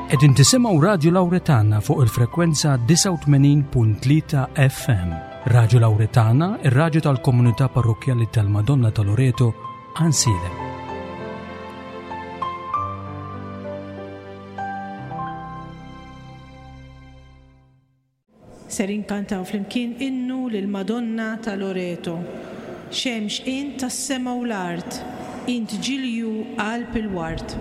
Qegħdin tisimgħu Radju Lawretana fuq il-frekwenza 89.3 FM. Radju Lawretana, ir-radju tal-Komunità Parrokkjali tal-Madonna ta' Loreto, Għansielem. Ser inkantaw flimkien innu lill-Madonna ta' Loreto. Xemx int tas-sema u l-art, int ġilju qalb il-ward.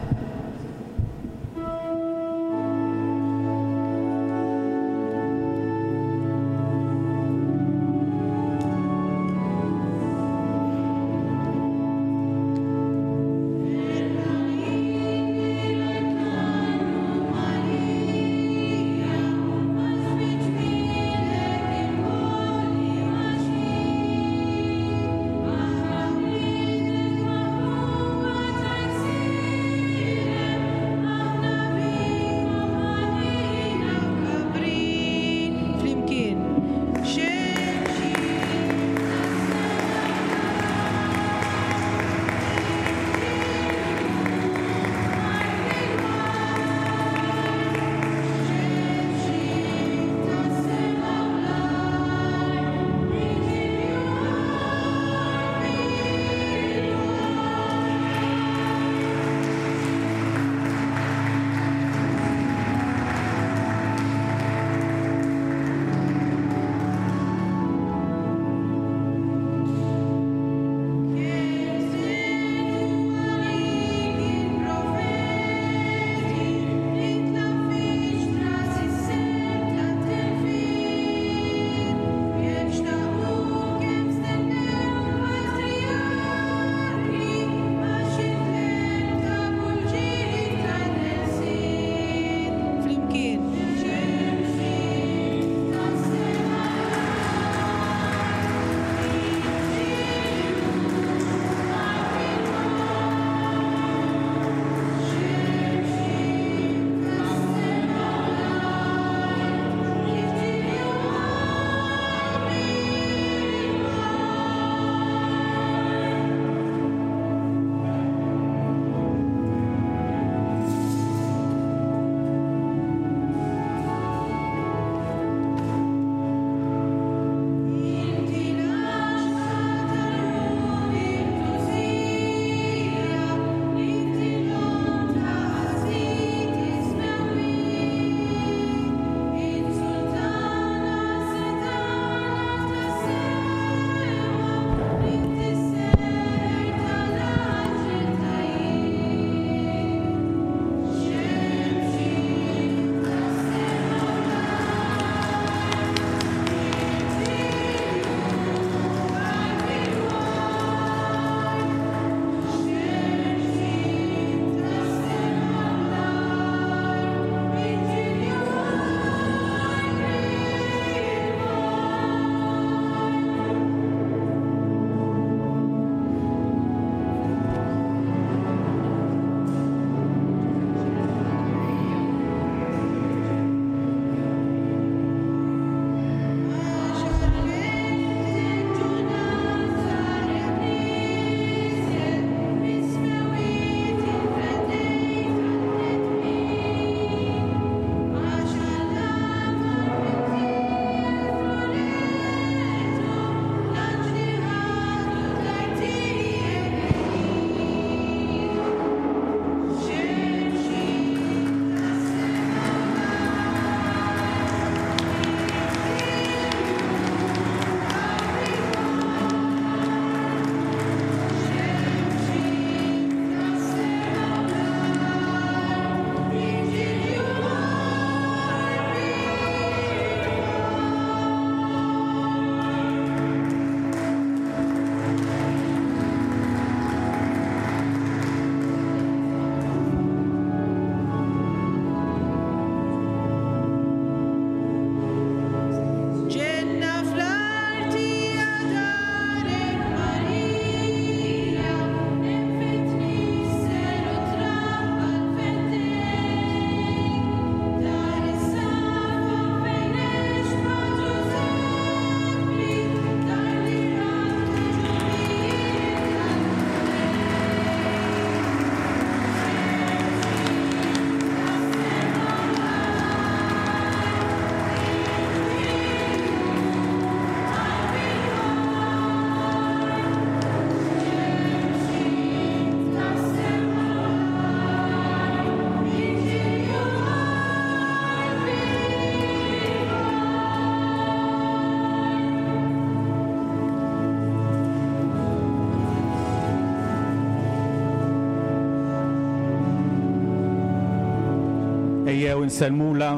Ejjew insellmulha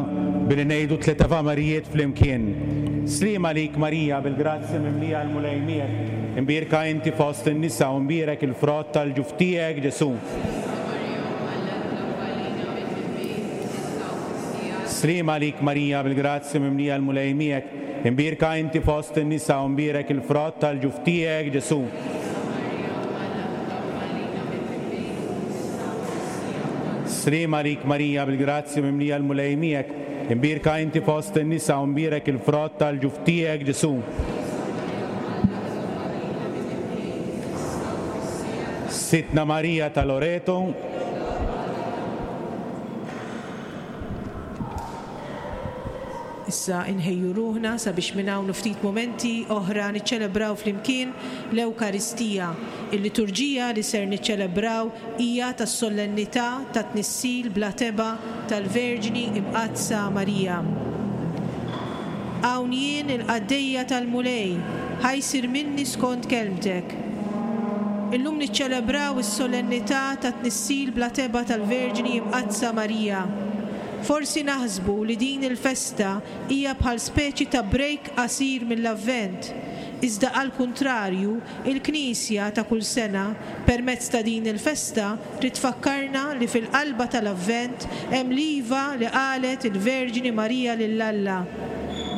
billi ngħidu tlett Ave Marijiet flimkien. Sliem għalik Marija, bil-grazzja mimlija l-Mulej miegħek, imbierka inti fost in-nisa u mbierek il-frott tal-ġuf tiegħek Ġesù. Sliem għalik Marija, bil-grazzja mimlija l-Mulej miegħek, imbierka inti fost in-nisa u mbierek il-frott tal-ġuf tiegħek Ġesù. Sliem għalik Marija, bil-grazzja mimlija l-Mulej miegħek, imbierka inti fost in-nisa u mbierek il-frott tal-ġuf tiegħek Ġesù. Sidtna Marija ta' Loreto. Issa inħejju ruħna sabiex minn hawn u ftit mumenti oħra niċċelebraw flimkien l-Ewkaristija. Il-liturġija li ser niċċelebraw hija tas-Solennità tat-Tnissil bla tebgħa tal-Verġni Imqaddsa Marija. Hawn jien il-qaddejja tal-Mulej, ħa jsir minni skont kelmtek. Illum niċċelebraw is-Solennità tat-Tnissil bla tebgħa tal-Verġni Imqaddsa Marija. Forsi naħsbu li din il-festa hija bħal speċi ta' break qasir mill-Avvent, iżda għall-kuntrarju, il-Knisja ta' kull sena, permezz ta' din il-festa, trid tfakkarna li fil-qalba tal-Avvent hemm l-iva li qalet il-Verġni Marija lil Alla.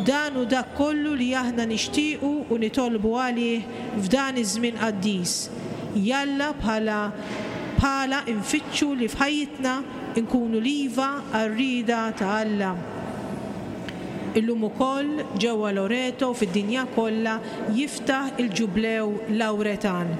Dan hu dak kollu li aħna nixtiequ u nitolbu għalih f'dan iż-żmien qaddis. Jalla bħala bħala nfittxu li f'ħajjitna Inkunu l-iva għar-rieda ta' Alla. Illum ukoll ġewwa Loreto u fid-dinja kollha jiftaħ il-Ġublew Lawretan.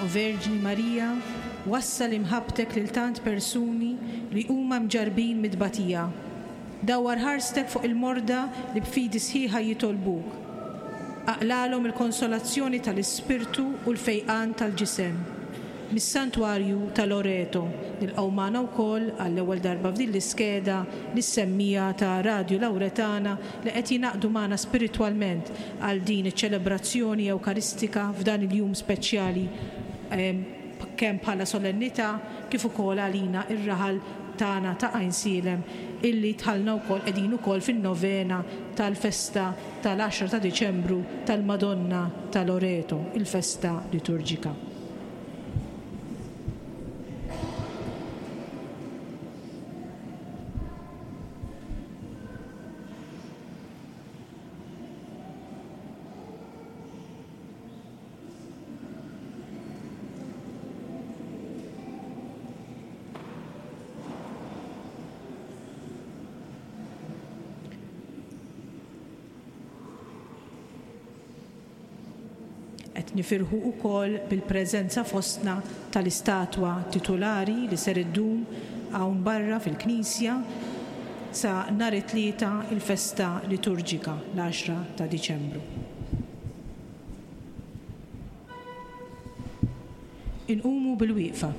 O Verġni Marija, wassal imħabbtek lil tant persuni li huma mġarrbin mit-tbatija. Dawwar ħarstek fuq il-morda li b'fidi sħiħa jitolbuk. Aqlagħlhom il-konsolazzjoni tal-ispirtu u l-fejqan tal-ġisem. Mis-Santwarju ta' Loreto, nilqgħu magħna wkoll għall-ewwel darba f'din l-iskeda lis-semmiegħa ta' Radju Lauretana li qed jingħaqdu magħna spiritwalment għal din iċ-ċelebrazzjoni Ewkaristika f'dan il-jum speċjali kemm bħala solennità kif ukoll għalina r-raħal tagħna ta' Għajnsielem illi dħalna wkoll qegħdin ukoll fin-novena tal-festa tal-għaxra ta' Diċembru tal-Madonna ta' Loreto, il-festa liturġika. Qed nifirħu wkoll bil-preżenza fostna tal-istatwa titulari li ser iddum hawn barra fil-knisja sa nhar it-Tlieta il-festa liturġika, l-għaxra ta' Diċembru. Inqumu bilwieqfa.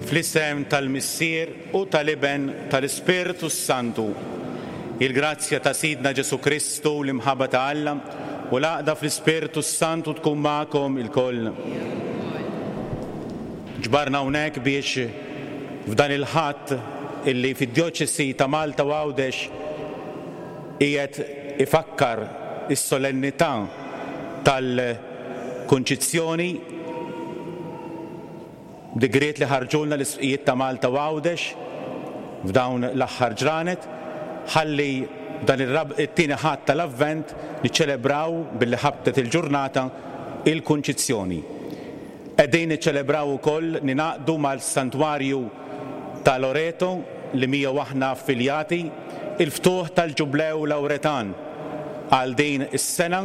Fl-isem tal-Missier u tal-Iben tal-Ispirtu s-Santu. Il-grazzja ta' Sidna Ġesù Kristu, l-imħabba ta' Alla u l-għaqda fl-Ispirtu s-Santu tkun magħkom ilkoll. Ġbarna hawnhekk biex f'dan il-Ħadd illi fid-Djoċesi ta' Malta u Għawdex qiegħed ifakkar is-solennità tal-Kunċizzjoni, digriet li ħarġulna l-Isqfijiet ta' Malta u Għawdex f'dawn l-aħħar ġranet, ħalli dan it-tieni Ħadd tal-Avvent niċċelebraw billi ħabtet il-ġurnata il-Kunċizzjoni. Qegħdin niċċelebraw ukoll ningħaqdu mal-Santwarju ta' Loreto li miegħu aħna affiljati, il-ftuħ tal-Ġublew Lawretan għal din is-sena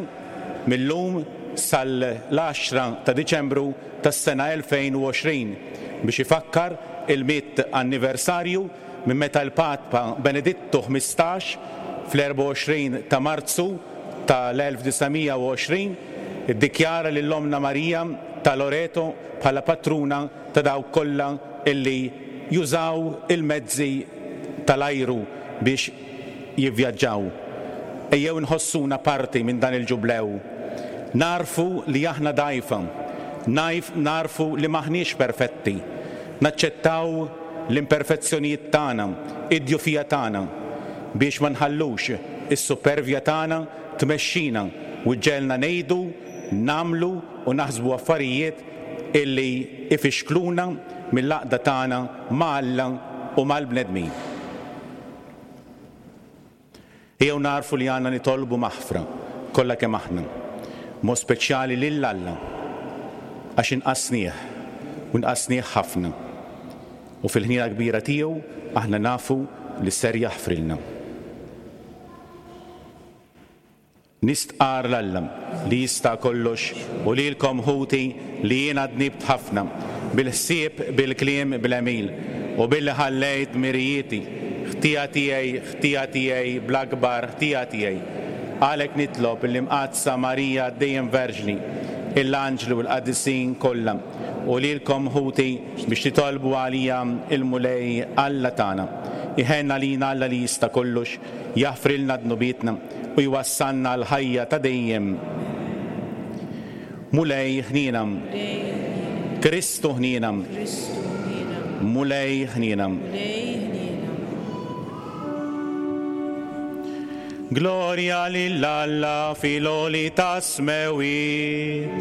mil-lum sal-għaxra ta' Diċembru tas-sena 2020 biex ifakkar il-mitt anniversarju minn meta l-Papa Benedittu 15 fl-24 ta' Marzu tal-1920 iddikjara lil Ommna Marija ta' Loreto bħala patruna ta' dawk kollha illi jużaw il-mezzi tal-ajru biex jivvjaġġaw. Ejjew inħossuna parti minn dan il-ġublew. Nagħrfu li aħna dgħajfa. Nagħrfu li m'aħniex perfetti. Naċċettaw l-imperfezzjonijiet tagħna, id-djufija tagħna, biex ma nħallux is-suppervja tagħna tmexxina. u ġġegħelna ngħidu, nagħmlu u naħsbu affarijiet illi ifixkluna mill-għaqda tagħna ma' Alla u mal-bnedmin. Ejjew nagħrfu li għandna nitolbu maħfra kollha kemm aħna, b'mod speċjali lil Alla, għax inqasnieh u nqasnieh ħafna. U fil-ħniena kbira tiegħu aħna nafu li ser jaħfrilna. Nistqarr 'l Alla, li jista' kollox, u lilkom, ħuti, li jiena dnibt ħafna, bil-ħsieb, bil-kliem, bl-għemil, u billi ħallejt dmirijieti, ħtija tiegħi, ħtija tiegħi, bl-akbar ħtija tiegħi. Għalhekk nitlob lill-Imqaddsa Marija dejjem Verġni, il-anġli u l-qaddisin kollha, u lilkom, ħuti, biex titolbu għalija l-Mulej Alla tagħna. Iħenn għalina Alla li jista' kollox, jaħfrilna dnubietna, u jwassalna għall-ħajja ta' dejjem. Mulej ħniena. Kristu ħniena. Mulej ħniena. Glorja lil Alla fil-għoli tas-smewwiet.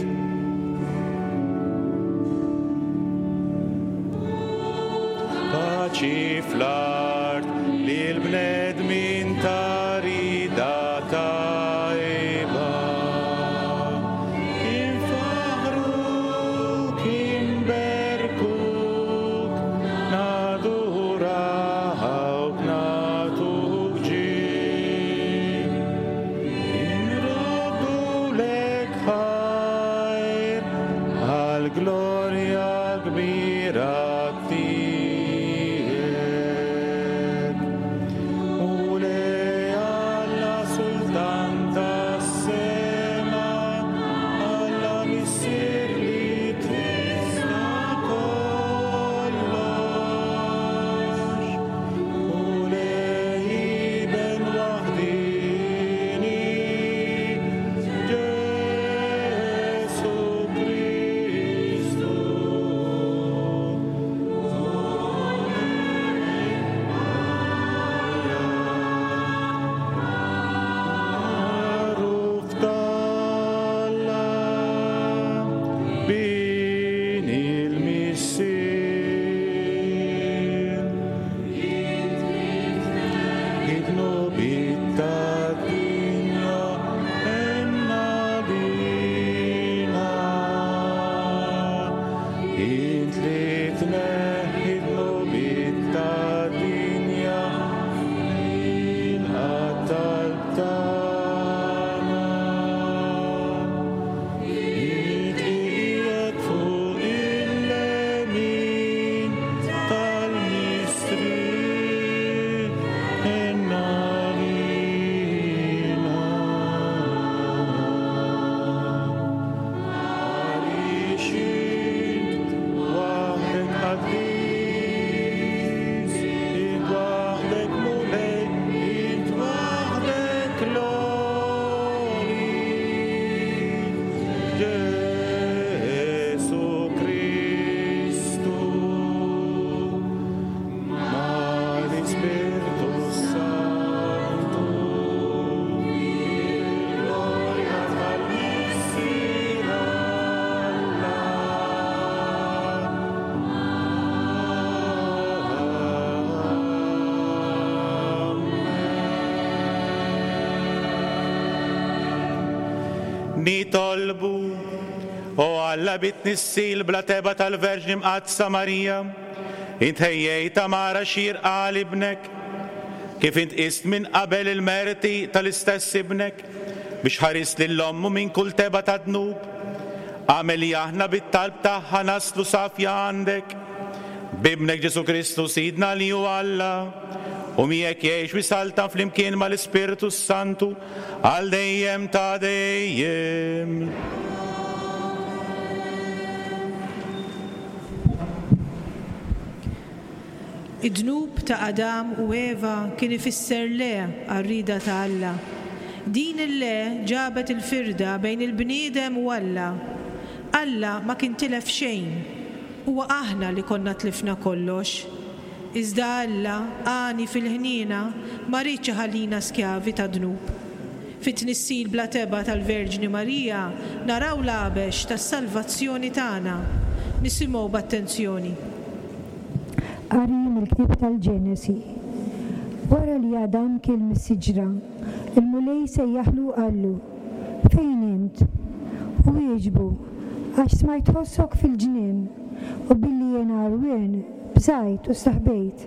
Paċi fl-art lill-bnedmin ta' rieda tajba. Infaħħruk, inberkuk, nadurawk, nagħtuk ġieħ. Inroddulek ħajr għall-glorja kbira tiegħek. Mulej Alla Sultan tas-sema, Alla Missier li tista' kollox. Mulej Iben waħdieni, Ġesù Kristu. Magħruf t'Alla, Bin il-Missier. Id-dnubiet tad-dinja għenna lilna. Int li tneħħi d-dnubiet tad-dinja, ilqa' t-talb tagħna. Int li qiegħed fuq il-lemin tal-Missier, għenna lilna. Għaliex int waħdek qaddis, int waħdek Mulej, int waħdek l-għoli. Ġesù Kristu, mal-Ispirtu Santu, fil-glorja tal-Missier Alla. Nitolbu, o Alla bit-tnissil bla tebgħa tal-Verġni Mqaddsa Marija, int ħejjejt għamara xierqa għal Ibnek, kif int qist minn qabel il-merti tal-istess Ibnek, biex ħarist lil ommu minn kull tebgħa ta' dnub. Agħmel li aħna bit-talb tagħha naslu safja għandek, b'Ibnek Ġesù Kristu Sidna li hu Alla, u miegħek jgħix u jsaltan flimkien mal-Ispirtu s-Santu, għal dejjem ta' dejjem. Id-dnub ta' Adam u Eva kien ifisser le għar-rieda ta' Alla. Din il-le ġabet il-firda bejn il-bniedem u Alla. Alla ma kien tilef xejn. Huwa aħna li konna tlifna kollox. Iżda Alla, għani fil-ħniena, ma riedx iħallina skjavi tad-dnub. Fit-tnissil bla tebgħa tal-Verġni Marija naraw l-għabex tas-salvazzjoni tagħna. Nisimgħu b'attenzjoni. Qari mill-Ktieb tal-Ġenesi. Wara li Adam kiel mis-siġra, il-Mulej sejjaħlu u qallu, Fejn int? Hu wieġbu, Għax smajt ħossok fil-ġnien, u billi jiena għarwien, bżajt u staħbejt.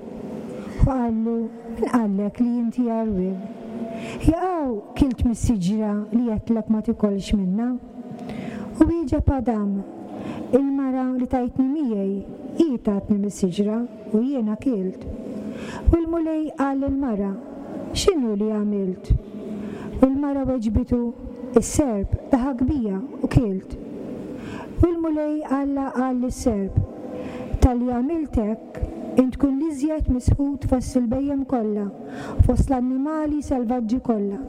Hu qallu, Min qallek li inti għarwien? Jaqaw kilt mis-siġra li għedtlek ma tikolx minnha? U wieġeb Adam, Il-mara li tajtni miegħi, hi tatni mis-siġra u jiena kilt. U l-Mulej qal lill-mara, X'inhu li għamilt? U l-mara weġbitu, Is-serp daħak bija u kilt. U l-Mulej Alla qal lis-serp, Talli għamilt hekk, int tkun l-iżjed misħut fost il-bhejjem kollha u fost l-annimali selvaġġi kollha.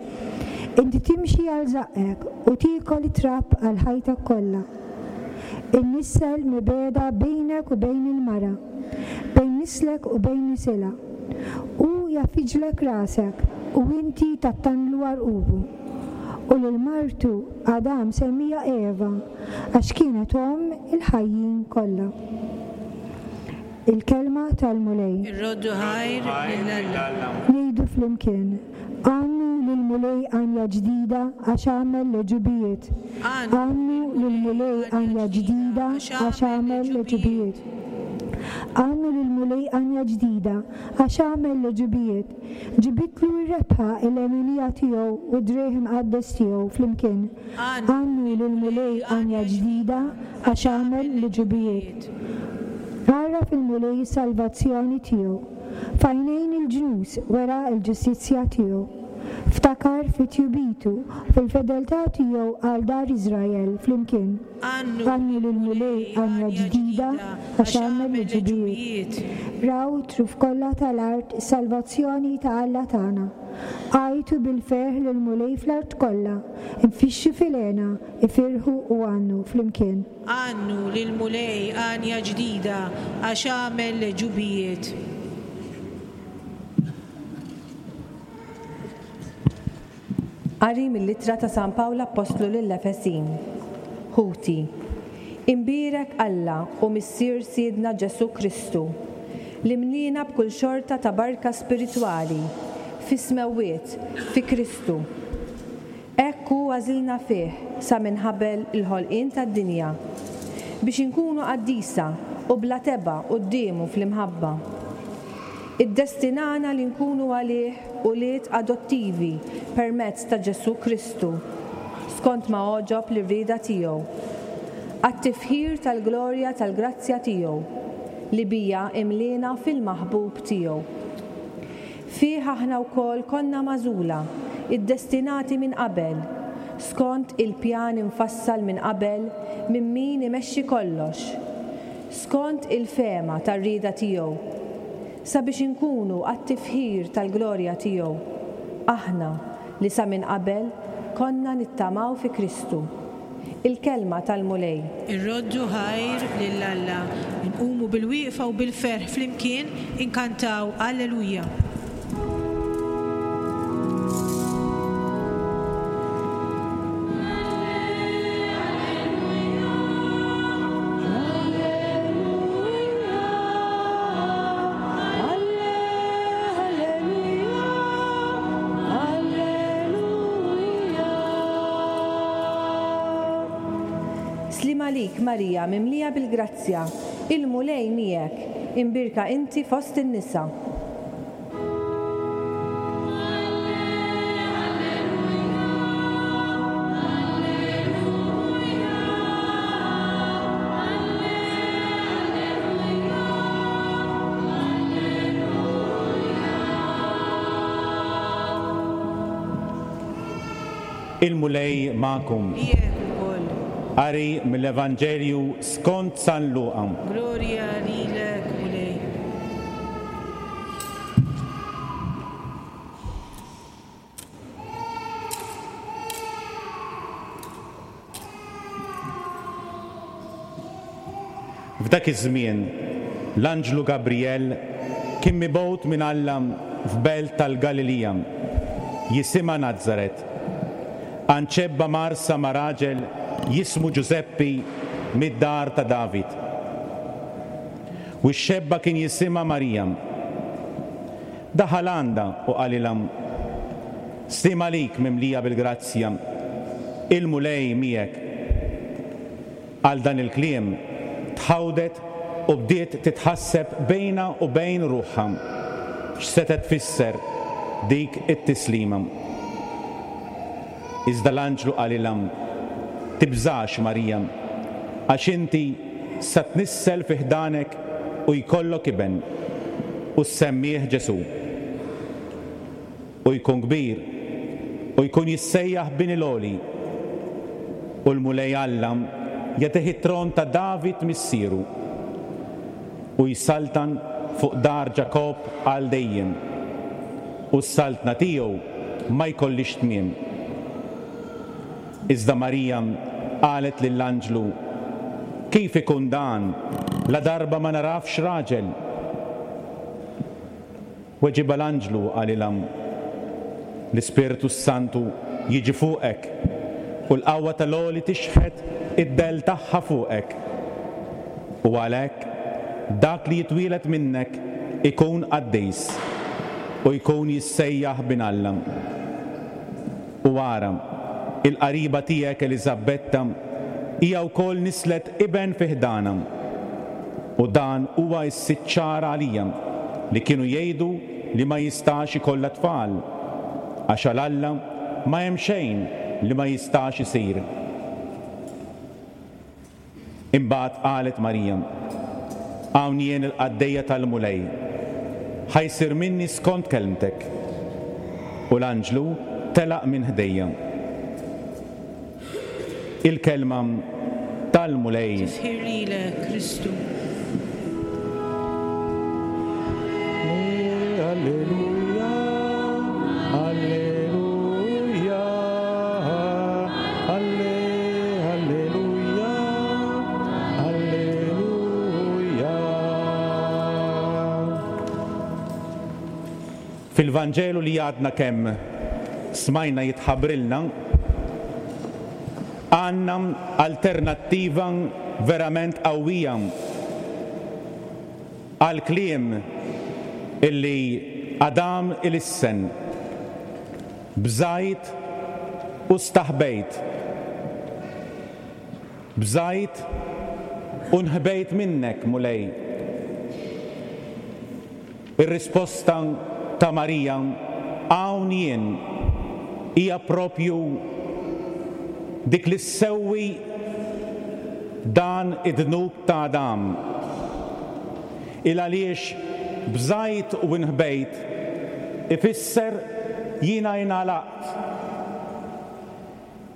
Inti timxi għal żaqqek u tiekol it-trab għal ħajtek kollha. Innissel mibegħda bejnek u bejn il-mara, bejn nislek u bejn nisilha. Hu jgħaffiġlek rasek u inti tattanlu għarqubu. U lil martu Adam semmieha Eva, għax kienet omm il-ħajjin kollha. Il-Kelma tal-Mulej. Irroddu ħajr lil Alla. Ngħidu flimkien, Għannu lill-Mulej għanja ġdida għax għamel l-għeġubijiet. Għannu lill-Mulej għanja ġdida għax għamel l-għeġubijiet. Għannu lill-Mulej għanja ġdida għax għamel l-għeġubijiet. Ġibitlu r-rebħa il-leminija tiegħu u d-driegħ imqaddes tiegħu flimkien. Għannu lill-Mulej għanja ġdida għax għamel l-għeġubijiet. Għarraf il-Mulej is-salvazzjoni tiegħu. F'għajnejn il-ġnus wera l-ġustizzja tiegħu. Ftakar fi tjubitu u fil-fedeltà tiegħu għal dar Iżrael flimkien. Għannu lill-Mulej għanja ġdida għax għamel l-għeġubijiet. Raw it-truf kollha tal-art is-salvazzjoni ta' Alla tagħna. Għajtu bil-ferħ lill-Mulej fl-art kollha, infixxu fil-hena, ifirħu u għannu flimkien. Għannu lill-Mulej għanja ġdida għax għamel l-għeġubijiet. Qari mill-Ittra ta' San Pawl Appostlu lill-Efesin. Ħuti, imbierek Alla u Missier Sidna Ġesù Kristu, li mliena b'kull xorta ta' barka spiritwali fis-smewwiet fi Kristu. Hekk hu għażilna fih sa minn ħabel il-ħolqien tad-dinja, biex inkunu qaddisa u bla tebgħa quddiemu fl-imħabba. Iddestinana li nkunu għalih ulied adottivi permezz ta' Ġesù Kristu, skont ma għoġob lir-rieda tiegħu, għat-tifħir tal-glorja tal-grazzja tiegħu, li biha imliena fil-maħbub tiegħu. Fih aħna wkoll konna magħżula, iddestinati minn qabel, skont il-pjan imfassal minn qabel minn min imexxi kollox, skont il-fehma tar-rieda tiegħu, sabiex inkunu għat-tifħir tal-glorja tiegħu, aħna li sa minn qabel konna nittamaw fi Kristu. Il-Kelma tal-Mulej. Irroddu ħajr lil Alla. Inqumu bil-wieqfa u bil-ferħ flimkien inkantaw Alleluja. Sliem għalik Marija mimlija bil-grazzja, il-Mulej miegħek, imbierka inti fost in-nisa. Il-Mulej magħkom. Miegħek ukoll. Qari mill-Evanġelju skont San Luqa. Glorja lilek, Mulej. F'dak iż-żmien, l-anġlu Gabrijel kien mibgħut minn Alla f'belt tal-Galilija, jisimha Nazaret. Għand xebba mgħarrsa ma' raġel jismu Ġużeppi mid-dar ta' David. U x-xebba kien jisimha Marija. Daħal għandha u qalilha, Sliem għalik mimlija bil-grazzja, il-Mulej miegħek. Għal dan il-kliem tħawdet u bdiet titħasseb bejnha u bejn ruħha x'setgħet tfisser dik it-tislima. Iżda l-anġlu qalilha, Tibżax, Marija, għax inti sa tnissel fi ħdanek u jkollok iben, u ssemmih Ġesù. U jkun kbir, u jkun jissejjaħ Bin il-Għoli, u l-Mulej Alla jagħtih it-tron ta' David missieru, u jsaltan fuq dar Ġakobb għal dejjem, u s-saltna tiegħu ma jkollhiex tmiem. Iżda Marija qalet lill-anġlu, Kif ikun dan, ladarba ma nagħrafx raġel? Weġibha l-anġlu u qalilha, L-Ispirtu s-Santu jiġi fuqek, u l-qawwa tal-Għoli tixħet id-dell tagħha fuqek. U għalhekk dak li jitwieled minnek ikun qaddis, u jkun jissejjaħ Bin Alla. U ara, il-qariba tiegħek Eliżabbetta hija wkoll nislet iben fi ħdanha. U dan huwa s-sitt xahar għalija li kienu jgħidu li ma jistax ikollha tfal, għax għal Alla ma hemm xejn li ma jistax isir. Imbagħad qalet Marija, Hawn jien il-qaddejja tal-Mulej, ħa jsir minni skont kelmtek. U l-anġlu telaq minn ħdejja. Il-kelma tal-Mulej. Tifħir lilek, Kristu. Alleluja, alleluja, alle, alleluja, alleluja. Fil-Vanġelu li għadna kemm smajna jitħabbrilna, għandna alternattiva verament qawwija għall-kliem illi Adam ilissen, Bżajt u staħbejt. Bżajt u nħbejt minnek, Mulej. Ir-risposta ta' Marija, Hawn jien, hija proprju dik li ssewwi dan id-dnub ta' Adam. Il għaliex bżajt u nħbejt ifisser jiena ingħalaqt,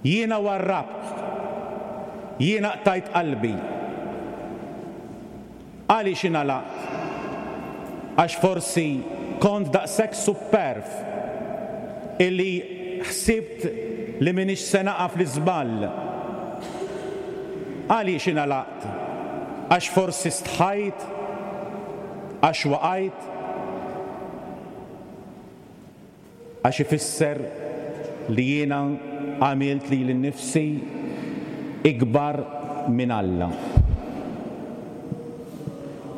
jiena warrabt, jiena qtajt qalbi. Għaliex ingħalaqt? Għax forsi kont daqshekk supperv illi ħsibt li m'iniex se naqa' fl-iżball. Għaliex ingħalaqt? Għax forsi stħajt? Għax waqajt? Għax ifisser li jiena għamilt lili nnifsi ikbar minn Alla.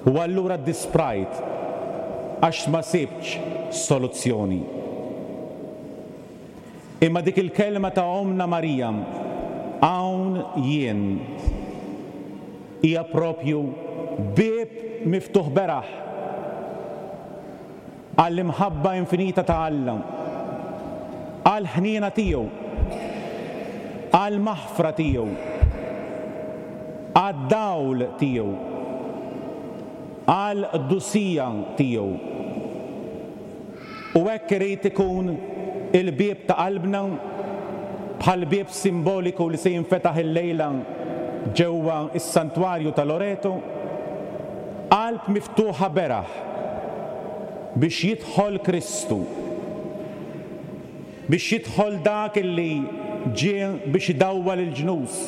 U allura ddisprajt għax ma sibtx soluzzjoni. Imma dik il-kelma ta' Ommna Marija, Hawn jien, hija proprju bieb miftuħ beraħ għall-imħabba infinita ta' Alla, għall-ħniena tiegħu, għall-maħfra tiegħu, għad-dawl tiegħu, għall-qdusija tiegħu. U hekk irid ikun il-bieb ta' qalbna, bħall-bieb simboliku li se jinfetaħ illejla ġewwa s-Santwarju ta' Loreto, qalb miftuħa beraħ biex jidħol Kristu, biex jidħol dak illi ġie biex idawwal il-ġnus.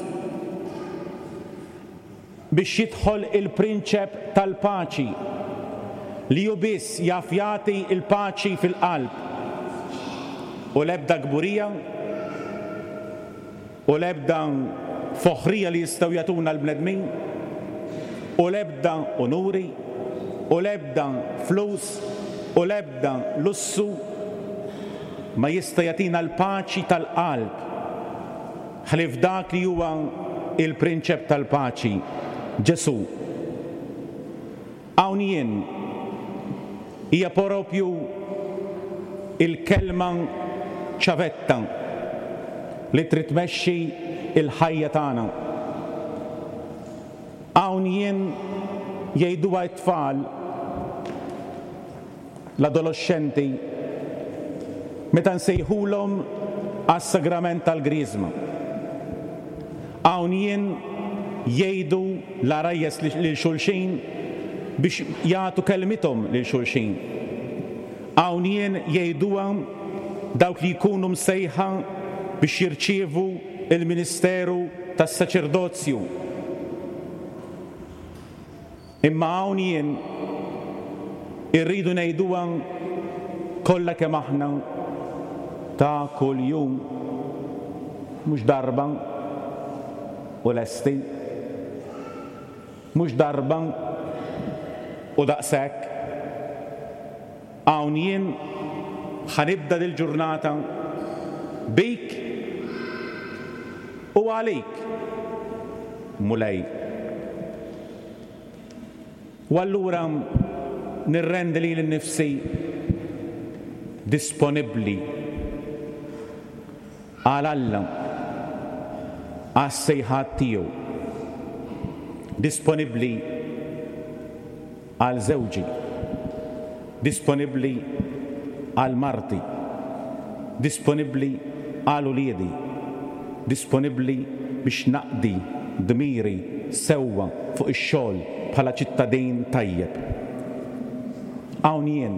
Biex jidħol il-Prinċep tal-Paċi, li hu biss jaf jagħti l-paċi fil-qalb, u l-ebda kburija, U l-ebda foħrija li jistgħu jagħtuna l-bnedmin, u l-ebda unuri, u l-ebda flus, u l-ebda lussu ma jista' jagħtina l-paċi tal-qalb ħlief dak li huwa l-Prinċep tal-Paċi, Ġesù. Hawn jien hija proprju l-kelma ċavetta li trid tmexxi l-ħajja tagħna. Hawn jien jgħiduha t-tfal, l-adoloxxenti, meta nsejħulhom għas-sagrament tal-Griżma. Hawn jien jgħidu l-għarajjes lil xulxin biex jagħtu kelmithom lil xulxin. Hawn jien jgħiduha dawk li jkunu msejħa biex jirċievu l-ministeru tas-saċerdozju. Imma hawn jien irridu ngħiduha kollha kemm aħna ta' kuljum, mhux darba u lesti, mhux darba u daqshekk. Hawn jien ħa nibda dil-ġurnata bik u għalik, Mulej. U allura nirrendi lili nnifsi disponibbli għal Alla, għas-sejħat tiegħu, disponibbli għal żewġi, disponibbli għal marti, disponibbli għal uliedi, disponibbli biex naqdi dmiri sewwa fuq ix-xogħol bħala ċittadin tajjeb. Hawn jien.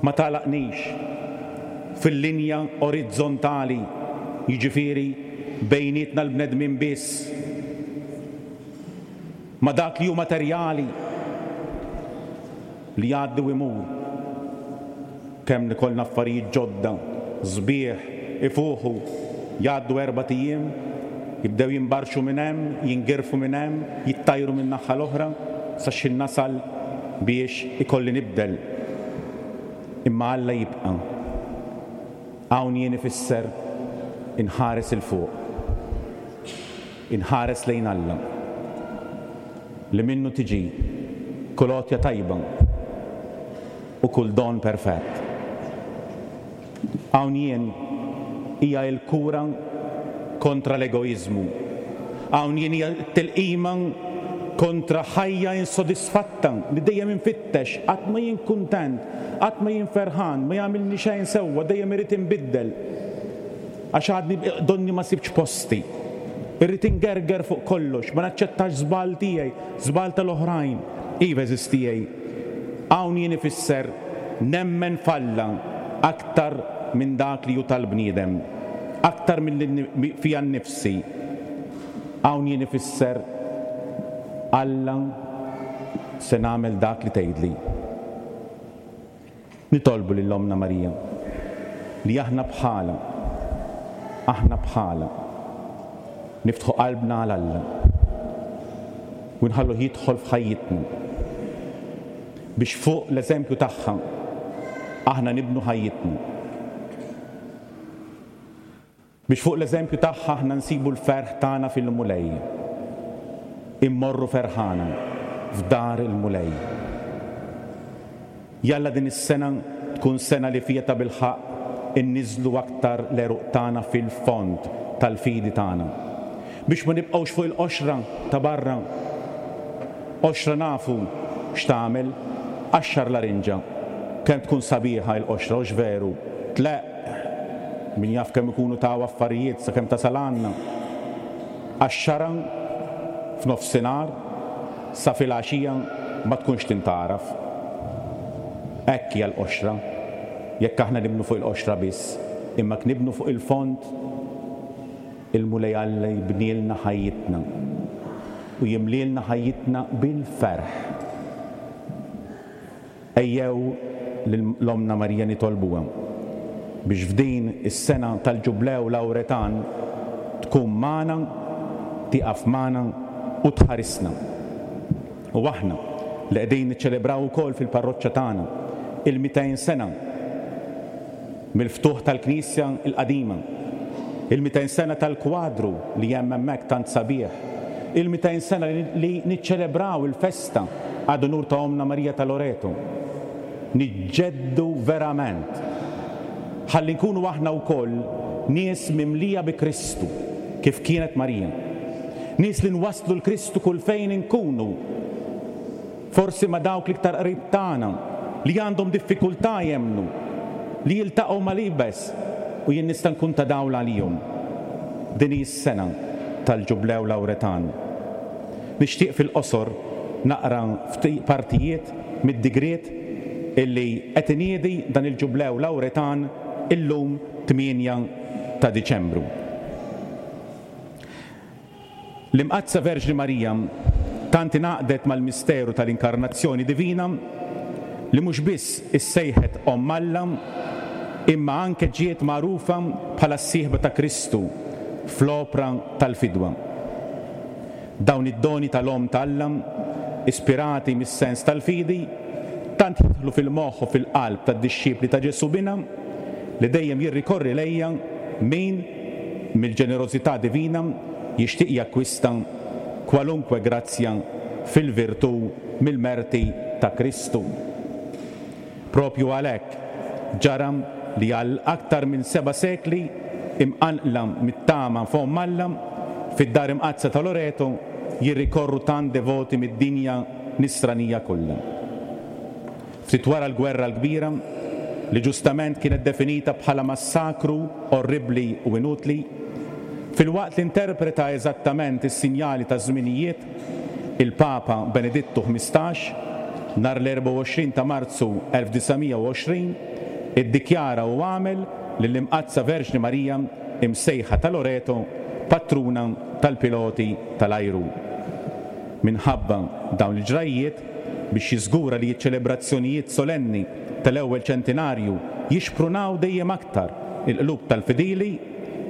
Ma tagħlaqnix fil-linja orizzontali, jiġifieri bejnietna l-bnedmin biss. Ma' dak li hu materjali li jgħaddi u jmur. Kemm ikollna affarijiet ġodda, sbieħ, ifuħu, jgħaddu erbat ijiem, jibdew jimbarxu minn hemm, jingirfu minn hemm, jittajru min-naħa l-oħra, sa x'ħin nasal biex ikolli nibdel. Imma Alla jibqa'. Hawn jien ifisser inħares 'il fuq. Inħares lejn Alla, li minnu tiġi kull għotja tajba u kull don perfett. Hawn jien hija l-kura kontra l-egoiżmu. Hawn jien hija t-tilqima kontra ħajja insodisfatta li dejjem infittex, qatt ma jien kuntent, qatt ma jien ferħan, ma jagħmilni xejn sewwa, dejjem irrid inbiddel. Għax għadni donni ma sibtx posti. Irrid ingerger fuq kollox, ma naċċettax żball tiegħi, żball tal-oħrajn. Iva għeżież tiegħi, hawn jien ifisser nemmen f'Alla aktar minn dak li hu tal-bniedem, aktar milli fija nnifsi. Hawn jien ifisser Alla se nagħmel dak li tgħidli. Nitolbu lil Ommna Marija li aħna bħalha, aħna bħalha, niftħu qalbna għal Alla u nħalluh jidħol f'ħajjitna biex fuq l-eżempju tagħha aħna nibnu ħajjitna. Biex fuq l-eżempju tagħha aħna nsibu l-ferħ tagħna fil-Mulej. Immorru ferħana f'dar il-Mulej. Jalla din is-sena tkun sena li fiha tabilħaqq inniżżlu aktar l-għeruq tagħna fil-fond tal-fidi tagħna. Biex ma nibqgħux fuq il-qoxra ta' barra. Qoxra nafu x'tagħmel, qaxxar larinġa. Kemm tkun sabiħa il-qoxra, hux veru? Tleqq! Min jaf kemm ikunu taw affarijiet sakemm tasal għandna. Għax-xara f'nofsinhar sa filgħaxija ma tkunx tintgħaraf. Hekk hija l-qoxra, jekk aħna nibnu fuq il-qoxra biss, imma jekk nibnu fuq il-fond, il-Mulej Alla jibnielna ħajjitna u jimlielna ħajjitna bil-ferħ. Ejjew lil Ommna Marija nitolbuha biex f'din is-sena tal-Ġublew Lawretan tkun magħna, tieqaf magħna u tħarisna. U aħna li qegħdin niċċelebraw ukoll fil-parroċċa tagħna il-200 sena mill-ftuħ tal-knisja l-qadima, il-200 sena tal-kwadru li hemm hemmhekk tant sabiħ, il-200 sena li niċċelebraw il-festa ad unur ta' Ommna Marija ta' Loreto, niġġeddu verament ħalli nkunu aħna wkoll nies mimlija bi Kristu kif kienet Marija. Nies li nwasslu 'l Kristu kull fejn inkunu, forsi ma' dawk l-iktar qrib tagħna li għandhom diffikultà jemmnu, li jiltaqgħu mal-iebes u jien nista' nkun ta' dawl għalihom. Din hi s-sena tal-Ġublew Lawretan. Nixtieq fil-qosor naqra ftit partijiet mid-digriet illi qed iniedi dan il-Ġublew Lawretan illum 8 ta' Diċembru. L-Imqaddsa Verġni Marija tant ingħaqdet mal-misteru tal-Inkarnazzjoni Divina li mhux biss issejħet Omm Alla imma anke ġiet magħrufa bħala s-sieħba ta' Kristu fl-opra tal-fidwa. Dawn id-doni tal-Omm ta' Alla, ispirati mis-sens tal-fidi, tant jidħlu fil-moħħ u fil-qalb tad-dixxipli ta' Ġesù Binha li dejjem jirrikorri lejha min, mill-ġenerożità divina, jixtieq jakkwista kwalunkwe grazzja fil-virtù mill-merti ta' Kristu. Proprju għalhekk ġara li għal aktar minn seba' sekli, imqanqla mit-tama f'Omm Alla, fid-Dar Imqaddsa ta' Loreto jirrikorru tant devoti mid-dinja Nisranija kollha. Ftit wara l-Gwerra l-Kbira, li ġustament kienet definita bħala massakru orribbli u inutli, filwaqt li interpreta eżattament is-sinjali taż-żminijiet, il-Papa Benedittu 15, nhar l-24 ta' Marzu 1920, iddikjara u għamel lill-Imqaddsa Verġni Marija imsejħa ta' Loreto patruna tal-piloti tal-ajru. Minħabba dawn il-ġrajjiet, biex jiżgura li ċ-ċelebrazzjonijiet solenni tal-ewwel ċentinarju jixprunaw dejjem aktar il-qlub tal-fidili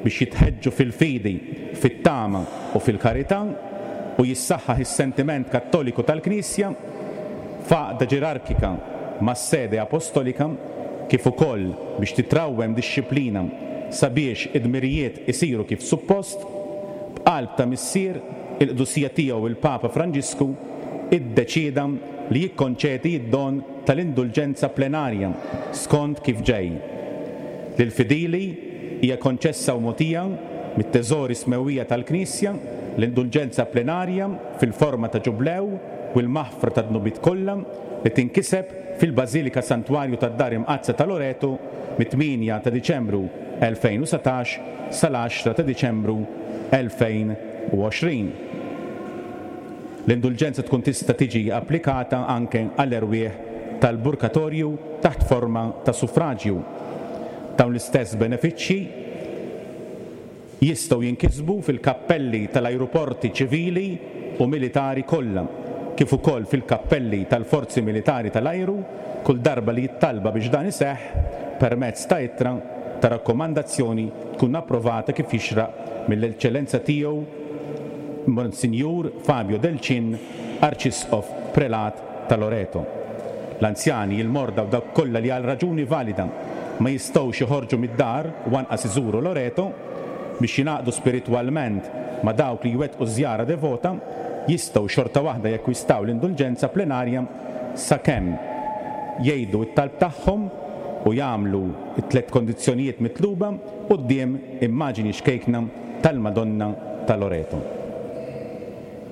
biex jitħeġġu fil-fidi, fit-tama u fil-karità u jissaħħaħ is-sentiment Kattoliku tal-Knisja f'għaqda ġerarkika mas-Sede Apostolika kif ukoll biex titrawwem dixxiplina sabiex id-dmirijiet isiru kif suppost, b'qalb ta' missier il-Qdusija Tiegħu il-Papa Franġisku iddeċieda li jikkonċedi d-don tal-indulġenza plenarja skont kif ġej. Lill-fidili hija konċessa u mogħtija mit-teżori smewwija tal-Knisja l-indulġenza plenarja fil-forma ta' ġublew u l-maħfra tad-dnubiet kollha li tinkiseb fil-Bażilika Santwarju tad-Dar Imqaddsa ta' Loreto mit-8 ta' Diċembru 2019 sal-10 ta' Diċembru 2020. L-indulġenza tkun tista' tiġi applikata anke għall-erwieħ tal-Purgatorju taħt forma ta' suffraġju. Dawn l-istess benefiċċji jistgħu jinkisbu fil-kappelli tal-ajruporti ċivili u militari kollha, kif ukoll fil-kappelli tal-Forzi Militari tal-Ajru kull darba li t-talba biex dan iseħħ permezz ta' ittra ta' rakkomandazzjoni tkun approvata kif jixraq mill-Eċċellenza Tiegħu Monsinjur Fabio Del Cin, Arċisqof Prelat ta' Loreto. L-anzjani, il-morda u dawk kollha li għal raġuni valida ma jistgħux joħorġu mid-dar u anqas iżuru Loreto biex jingħaqdu spiritwalment ma' dawk li jwettqu żjara devota, jistgħu xorta waħda jakkwistaw l-indulġenza plenarja sakemm jgħidu t-talb tagħhom u jagħmlu t-tlett kondizzjonijiet mitluba quddiem immaġini xkejkna tal-Madonna ta' Loreto.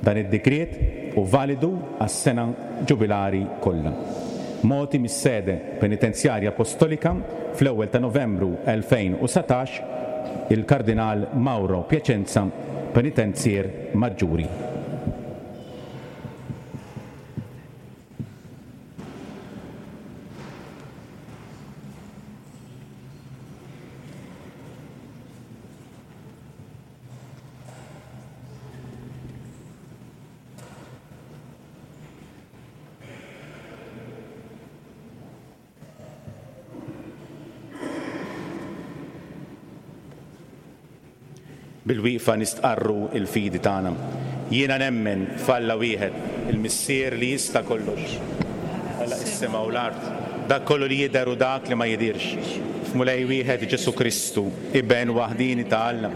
Dan id-digriet hu validu għas-sena ġubilari kollha. Mogħti mis-Sede Penitenzjarja Apostolika fl-ewwel ta' Novembru 2019, il-Kardinal Mauro Piacenza, Penitenzier Maġġuri. Bil-wieqfa nistqarru l-fidi tagħna. Jiena nemmen f'Alla wieħed, il-Missier li jista' kollox, Ħalaq is-sema u l-art, dak kollu li jidher u dak li ma jidhirx, f'Mulej wieħed Ġesù Kristu, Iben waħdieni ta' Alla,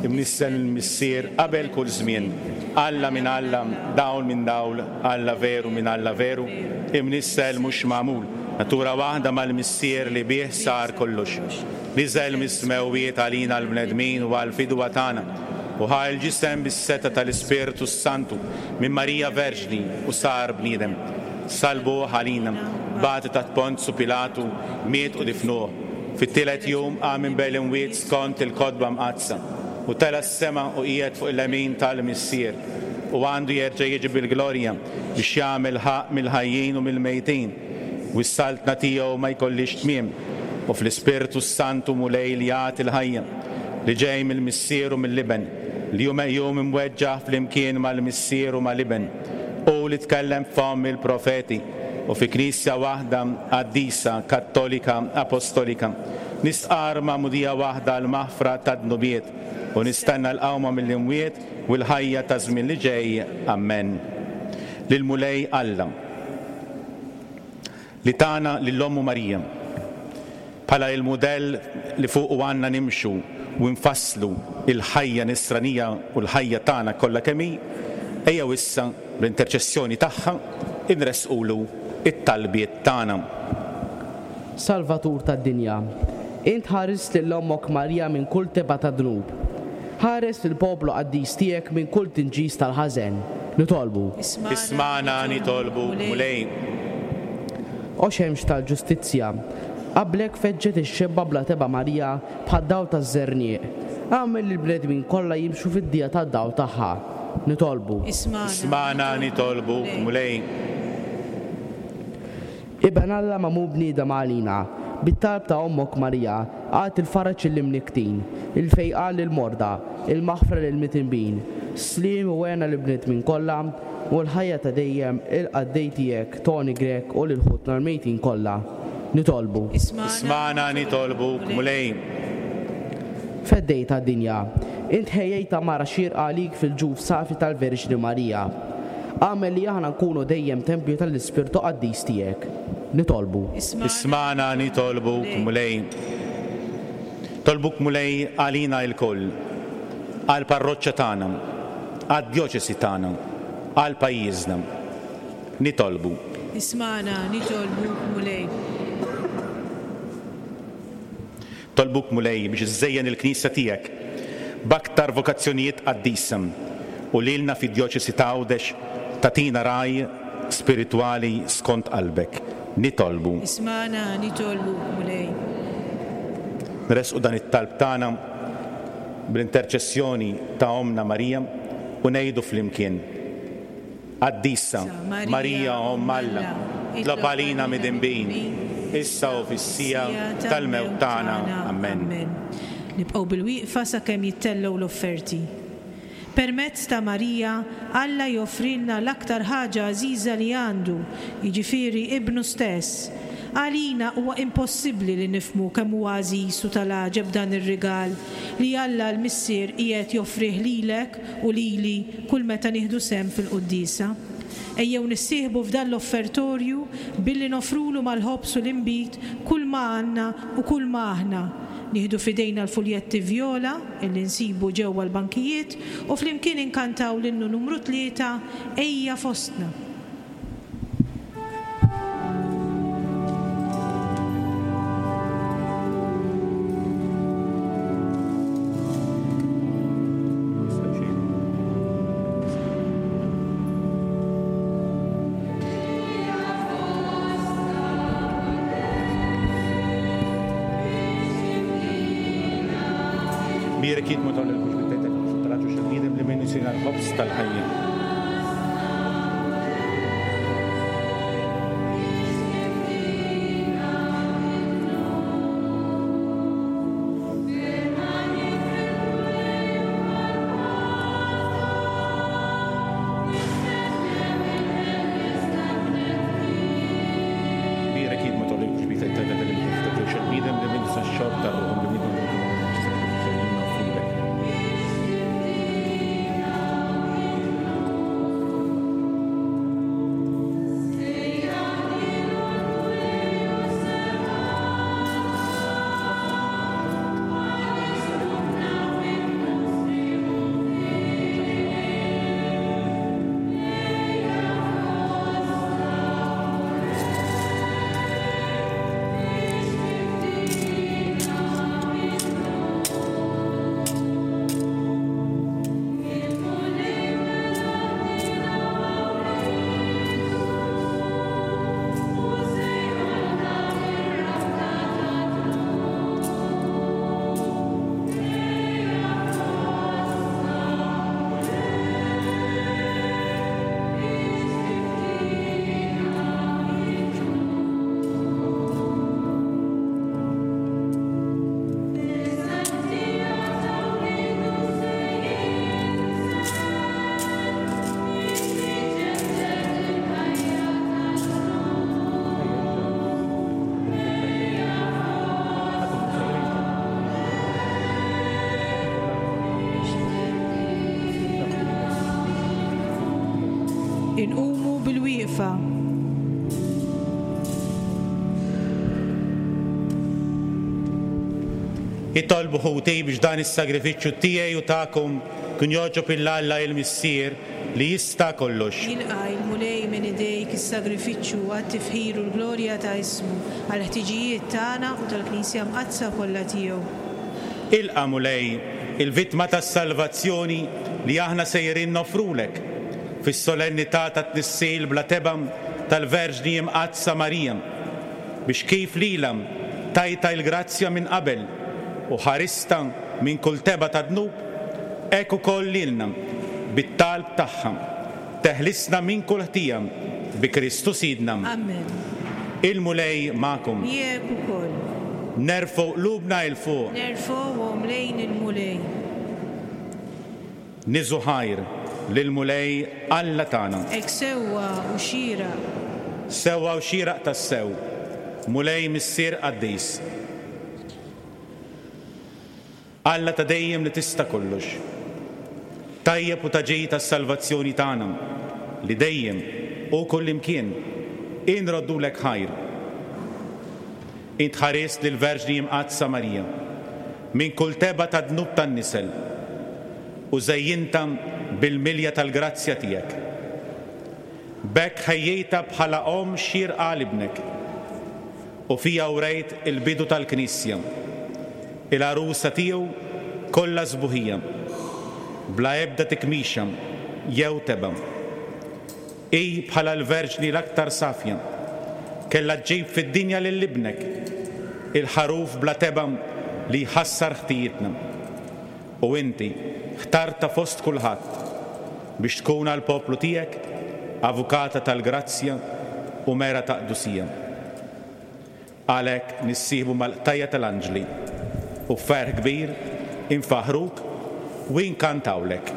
imnissel mill-Missier qabel kull żmien, Alla minn Alla, dawl minn dawl, Alla veru minn Alla veru, imnissel mhux magħmul, natura waħda mal-Missier li bih sar kollox. Niżel mis-smewwiet għalina l-bnedmin u għall-fidwa tagħna, u ħa l-ġisem bis-setgħa tal-Ispirtu s-Santu minn Marija Verġni u sar bniedem. Sallbuh għalina, bati taħt Ponzu Pilatu, miet u difnuh. Fit-tielet jum qam minn bejn l-imwiet skont il-Kotba Mqaddsa, u tela' s-sema u qiegħed fuq il-lemin tal-Missier, u għandu jerġa' jiġi bil-glorja biex jagħmel ħaqq mill-ħajjin u mill-mejtin. U s-saltna tiegħu ma jkollhiex tmiem, u fl-Ispirtu s-Santu Mulej li jagħti l-ħajja, li ġej mill-Missier u mill-Iben, li hu meqjum imweġġaħ flimkien mal-Missier u mal-Iben, hu li tkellem b'fomm il-profeti, u fi Knisja waħda, qaddisa, kattolika, apostolika, nistqarr magħmudija waħda għall-maħfra tad-dnubiet, u nistenna l-qawma mill-imwiet u l-ħajja taż-żmien li ġej. Ammen. Lill-Mulej Alla. Li tana lil Ommu Marija bħala il-mudell li fuqu għandna nimxu u nfasslu il-ħajja nisranija u l-ħajja tagħna kollha kemm hi, ejjew issa bl-interċessjoni tagħha inressqulu t-talbiet tagħna. Salvatur tad-dinja, int ħarist lil Ommok Marija minn kull tebgħa ta' dnub. Ħares lill-poplu qaddis tiegħek minn kull tinġis tal-ħażen. Nitolbu. Ismagħna nitolbuk, Mulej. O xemx tal-ġustizzja, qablek feġġet ix-xebba bla tebgħa Marija bħad-dawl taż-żerniq. Agħmel li l-bnedmin kollha jimxu fid-dija tad-dawl tagħha. Nitolbu. Ismagħna nitolbuk, Mulej. Iben Alla magħmul bniedem għalina, bit-talb ta' Ommok Marija, agħti l-faraġ lill-imnikktin, il-fejqan lill-morda, il-maħfra lill-midinbin, sliem u hena lill-bnedmin kollha, u l-ħajja ta' dejjem lill-qaddej tiegħek Toni Grech u lil ħutna l-mejtin kollha. Nitolbu. Ismagħna nitolbuk, Mulej. Feddej tad-dinja, int ħejjejt għamara xierqa għalik fil-ġuf safi tal-Verġni Marija. Agħmel li aħna nkunu dejjem tempju tal-Ispirtu Qaddis tiegħek. Nitolbu. Ismagħna nitolbuk, Mulej. Nitolbuk, Mulej, għalina ilkoll, għall-parroċċa tagħna, għad-djoċesi tagħna, għal pajjiżna. Nitolbu. Ismagħna nitolbuk, Mulej. Nitolbuk, Mulej, biex iżżejjen il-Knisja tiegħek b'aktar vokazzjonijiet qaddisa u lilna fid-Djoċesi ta' Għawdex tagħtina ragħaj spiritwali skont qalbek. Nitolbu. Ismagħna, nitolbuk, Mulej. Nressqu dan it-talb tagħna bl-interċessjoni ta' Ommna Marija u ngħidu flimkien. Qaddisa, Marija Omm Alla, tlob għalina midinbin, issa u fis-siegħa tal-mewt tagħna. Ammen. Nibqgħu bil-wieqfa sakemm jittellgħu l-offerti. Permezz ta' Marija, Alla joffrilna l-aktar ħaġa għażiża li għandu, jiġifieri Ibnu stess. Għalina huwa impossibbli li nifhmu kemm huwa għażiż u tal-għaġeb dan ir-rigal li Alla l-Missier qiegħed joffrih lilek u lili kull meta nieħdu sehem fil-quddiesa. Ejjew nissieħbu f'dan l-offertorju billi noffrulu mal-ħobż u l-inbid kull ma għandna u kull ma aħna. Nieħdu f'idejna l-fuljetti vjola illi nsibu ġewwa l-bankijiet u flimkien inkantaw l-innu numru tlieta, Ejja Fostna. Bierek jitmu dawn il-kux bit-tejtek u traġu xil-bniedem li minni sina l-ħobż tal-ħajja. Inqumu bilwieqfa. Itolbu ħuti biex dan is-sagrifiċċju tiegħi u tagħkom kun jogħġob 'il Alla il-Missier li jista' kollox. Jilqa' il-Mulej minn idejk is-sagrifiċċju għat-tifħir u l-glorja ta' ismu, għall-ħtiġijiet tagħna u tal-Knisja Mqaddsa kollha tiegħu. Ilqa', Mulej, il-vittma tas-salvazzjoni li aħna sejrin noffrulek fis-solennità tat-tnissil bla tebgħa tal-Verġni Imqaddsa Marija, biex kif lilha tajtha il-grazzja minn qabel u ħaristha minn kull tebgħa ta' dnub, hekk ukoll lilna, bit-talb tagħha, teħlisna minn kull ħtija, bi Kristu Sidna. Amen. Il-Mulej magħkom. Miegħek ukoll. Nerfgħu qlubna 'il fuq. Nerfgħuhom lejn il-Mulej. Niżu ħajr lill-Mulej Alla tagħna. Hekk sewwa u xieraq. Sewwa u xieraq tassew, Mulej Missier qaddis. Alla ta' dejjem li tista' kollox. Tajjeb u ta' ġid għas-salvazzjoni tagħna, li dejjem u kullimkien inroddulek ħajr. Int ħarist lill-Verġni Imqaddsa Marija minn kull tebgħa ta' dnub tan-nisel u żejjintha bil-milja tal-grazzja tiegħek. B'hekk ħejjejtha bħala omm xierqa għal Ibnek u fiha wrejt il-bidu tal-Knisja, il-għarusa tiegħu kollha sbuħija, bla ebda tikmixa jew tebgħa. Hi, bħala l-Verġni l-aktar safja, kellha ġġib fid-dinja lil Ibnek, il-Ħaruf bla tebgħa li jħassar ħtijietna. U inti ħtartha fost kulħadd biex tkun għall-poplu tiegħek avukata tal-grazzja u mera ta' qdusija. Għalhekk nissieħbu mal-qtajja' tal-anġli u b'ferħ kbir infaħħruk u inkantawlek.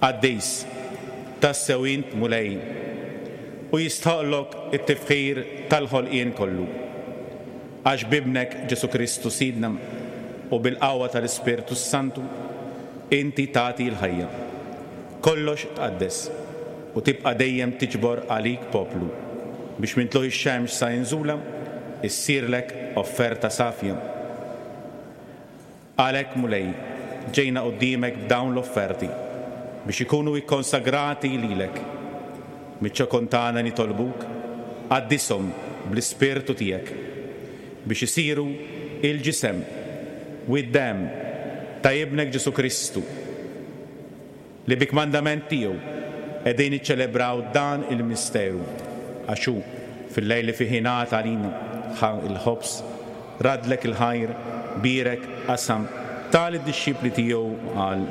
Qaddis, tassew int Mulej, u jistħoqqlok it-tifħir tal-ħolqien kollu. Għax b'Ibnek Ġesù Kristu Sidna u bil-qawwa tal-Ispirtu s-Santu, inti tagħti l-ħajja. Kollox tqaddes, u tibqa' dejjem tiġbor għalik poplu, biex minn tlugħ ix-xemx sa inżulha issirlek offerta safja. Għalhekk, Mulej, ġejna quddiemek b'dawn l-offerti, biex ikunu ikkonsagrati lilek. Miċ-ċokon tagħna nitolbuk, qaddishom bl-Ispirtu tiegħek, biex isiru il-ġisem u d-demm ta' Ibnek Ġesù Kristu, li bi kmandament tiegħu qegħdin niċċelebraw dan il-misteru, għax hu, fil-lejl li fih ingħata għalina, ħa l-ħobż, raddlek il-ħajr, bierek, qasam, ta lid-dixxipli tiegħu u qal,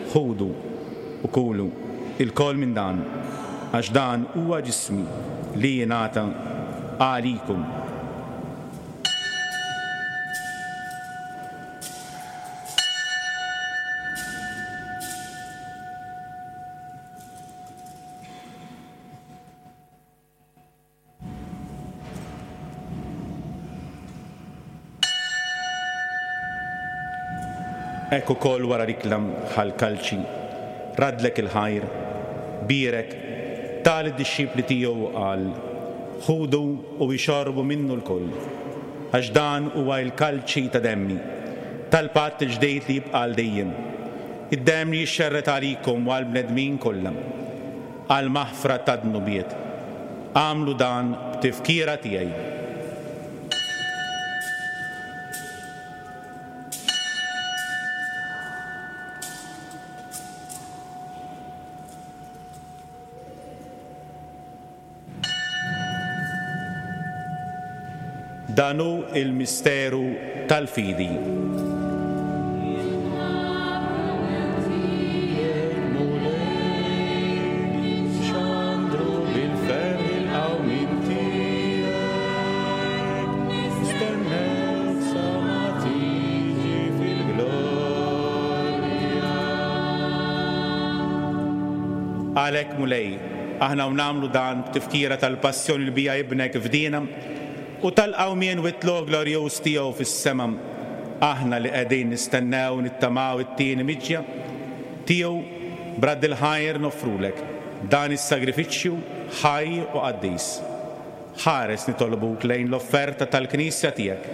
Ħudu u kulu ilkoll minn dan, għax dan huwa ġismi li jingħata għalikom. Hekk ukoll wara l-ikla ħa l-kalċi, raddlek il-ħajr, bierek, ta lid-dixxipli tiegħu u qal, Ħudu u ixorbu minnu lkoll. Għax dan huwa l-kalċi ta' demmi. tal-patt il-ġdid li jibqa' għal dejjem, id-demm li jixxerred għalikom u għall-bnedmin kollha, għall-maħfra tad-dnubiet. Agħmlu dan b'tifkira tiegħi. Dan hu l-misteru tal-fidi. Għalhekk, Mulej, aħna u nagħmlu dan b'tifkira tal-passjoni li biha Ibnek fdiena u tal-qawmien u t-tlugħ glorjuż tiegħu fis-sema, aħna li qegħdin nistennew u nittamaw it-tieni miġja tiegħu, b'radd il-ħajr noffrulek dan is-sagrifiċċju ħaj u qaddis. Ħares nitolbuk lejn l-offerta tal-Knisja tiegħek.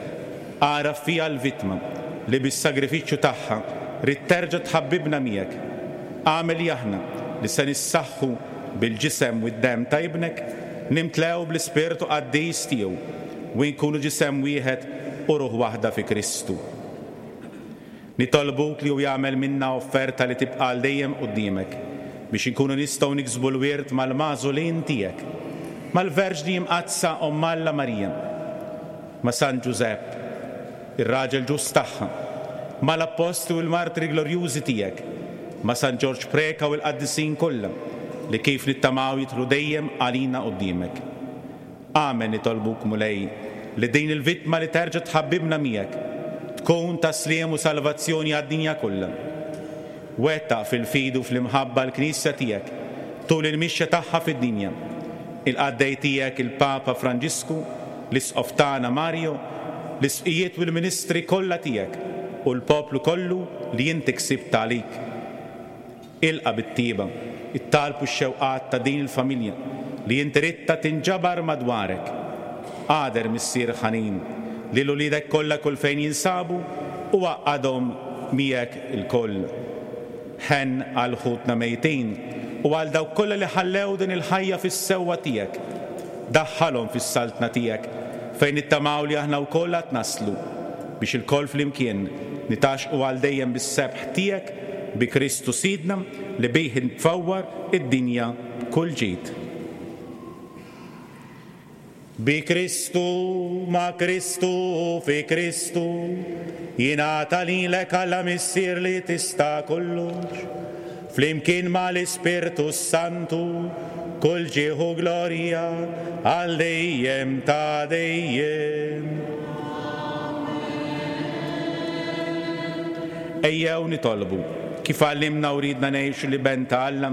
Agħraf fiha l-vittma li bis-sagrifiċċju tagħha ridt terġa' tħabbibna miegħek. Agħmel li aħna, li se nissaħħu bil-ġisem u d-demm ta' Ibnek, nimtlew bl-Ispirtu qaddis tiegħu u nkunu ġisem wieħed u ruħ waħda fi Kristu. Nitolbuk li hu jagħmel minna offerta li tibqa' għal dejjem quddiemek, biex inkunu nistgħu niksbu l-wirt mal-magħżulin tiegħek, mal-Verġni Imqaddsa Omm Alla Marija, ma' San Ġużepp, ir-raġel ġust tagħha, mal-Appostli u l-martri glorjużi tiegħek, ma' San Ġorġ Preca u l-qaddisin kollha li kif nittamaw jidħlu dejjem għalina quddiemek. Amen Nitolbuk, Mulej, li din il-vittma li terġa' tħabbibna miegħek, tkun ta' sliem u salvazzjoni għad-dinja kollha. Wettaq fil-fidi u fl-imħabba l-Knisja tiegħek tul il-mixja tagħha fid-dinja. Il-qaddej tiegħek il-Papa Franġisku, l-Isqof tagħna Mario, l-Isqfijiet u l-ministri kollha tiegħek u l-poplu kollu li inti ksibt għalik. Ilqa' bit-tjieba t-talb u x-xewqat ta' din il-familja li inti ridtha tinġabar madwarek. Agħder, Missier ħanin, lil uliedek kollha kull fejn jinsabu u għaqqadhom miegħek ilkoll. Ħenn għal ħutna mejtin u għal dawk kollha li ħallew din il-ħajja fis-sewwa tiegħek. Daħħalhom fis-saltna tiegħek fejn nittamaw li aħna wkoll għad naslu, biex ilkoll flimkien nitgħaxxqu għal dejjem bis-sebħ tiegħek bi Kristu Sidna li bih tfawwar id-dinja b'kull ġid. Bi Kristu, ma' Kristu u fi Kristu, jingħata lilek Alla Missier li tista' kollox, flimkien ma' l-Ispirtu s-Santu, kull ġieħ u glorja għal dejjem ta' dejjem. Ejjew nitolbu, kif għallimna u riedna ngħixu l-Iben ta' Alla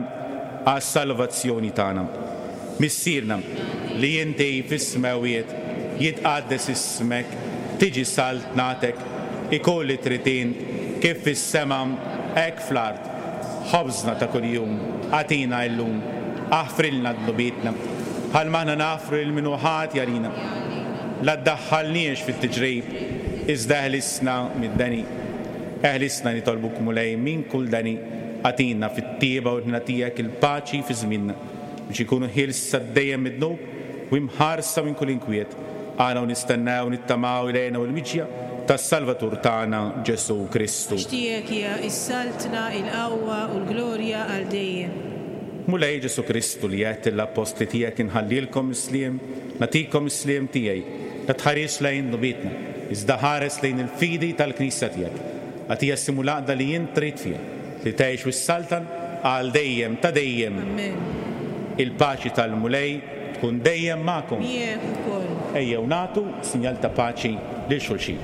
għas-salvazzjoni tagħna. Missierna, li inti fis-smewwiet, jitqaddes ismek, tiġi saltnatek, ikun li trid int, kif fis-sema, hekk fl-art. Ħobżna ta' kuljum agħtina illum, aħfrilna dnubietna, bħalma aħna naħfru lil min hu ħati għalina. La ddaħħalniex fit-tiġrib, iżda eħlisna mid-deni. Eħlisna nitolbuk Mulej minn kull deni, agħtina fit-tjieba u l-ħniena tiegħek il-paċi fi żmienna, biex inkunu ħielsa dejjem mid-dnub u imħarsa minn kull inkwiet, aħna u nistennew u nittamaw il-hena u l-miġja tas-Salvatur tagħna Ġesù Kristu. Għax tiegħek hija s-saltna, il-qawwa u l-glorja għal dejjem. Mulej Ġesù Kristu li għedt lill-appostli tiegħek inħallilkom is-sliem, nagħtikom is-sliem tiegħi, la tħarisx lejn dnubietna, iżda ħares lejn il-fidi tal-Knisja tiegħek. Agħtiha s-sliem u l-għaqda li int trid fiha, li tgħix u ssaltan għal dejjem ta' dejjem. Amen. Il-paċi tal-Mulej tkun dejjem magħkom. Miegħek ukoll. Ejjew nagħtu sinjal ta' paċi lil xulxin.